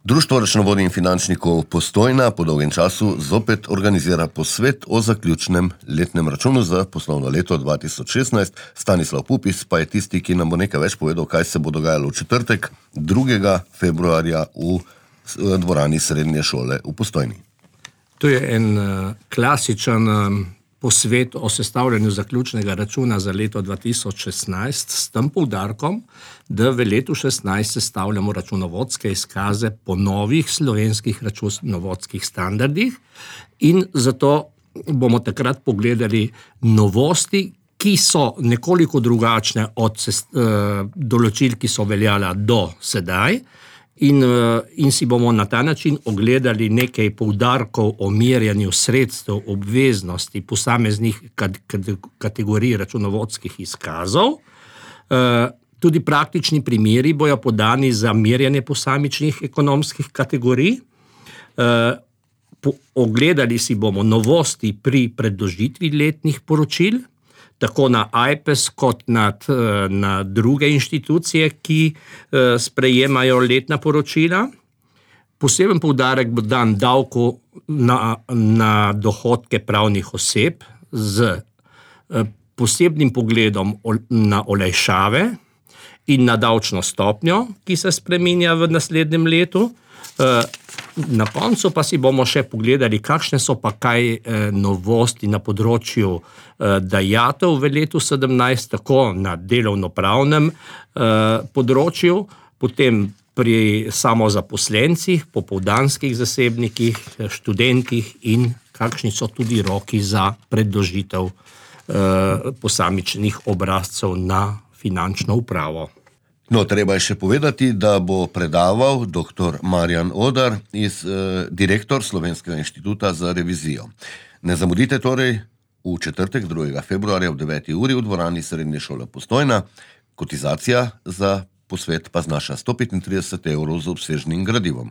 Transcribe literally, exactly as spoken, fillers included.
Društvo računovodij in finančnikov Postojna po dolgem času zopet organizira posvet o zaključnem letnem računu za poslovno leto dva tisoč šestnajst. Stanislav Pupis pa je tisti, ki nam bo nekaj več povedal, kaj se bo dogajalo v četrtek, drugega februarja v dvorani srednje šole v Postojni. To je en uh, klasičen um, posvet o sestavljanju zaključnega računa za leto dva tisoč šestnajst s tem poudarkom, da v letu šestnajst sestavljamo računovodske izkaze po novih slovenskih računovodskih standardih in zato bomo takrat pogledali novosti, ki so nekoliko drugačne od sest, uh, določil, ki so veljala do sedaj. In, in si bomo na ta način ogledali nekaj poudarkov o merjanju sredstev obveznosti posameznih kategorij računovodskih izkazov. Tudi praktični primeri bojo podani za merjanje posamičnih ekonomskih kategorij. Ogledali si bomo novosti pri predložitvi letnih poročil, tako na A I P E S kot nad, na druge inštitucije, ki sprejemajo letna poročila. Poseben poudarek bo dan davku na, na dohodke pravnih oseb z posebnim pogledom na olajšave in na davčno stopnjo, ki se spreminja v naslednjem letu. Na koncu pa si bomo še pogledali, kakšne so pa kaj novosti na področju dajatev v letu sedemnajst, tako na delovnopravnem področju, potem pri samozaposlencih, popoldanskih zasebnikih, študentih in kakšni so tudi roki za predložitev posamičnih obrazcev na finančno upravo. No, treba je še povedati, da bo predaval doktor Marjan Odar, iz, eh, direktor Slovenskega inštituta za revizijo. Ne zamudite torej v četrtek, drugega februarja ob deveti uri v dvorani srednje šole Postojna. Kotizacija za posvet pa znaša sto petintrideset evrov z obsežnim gradivom.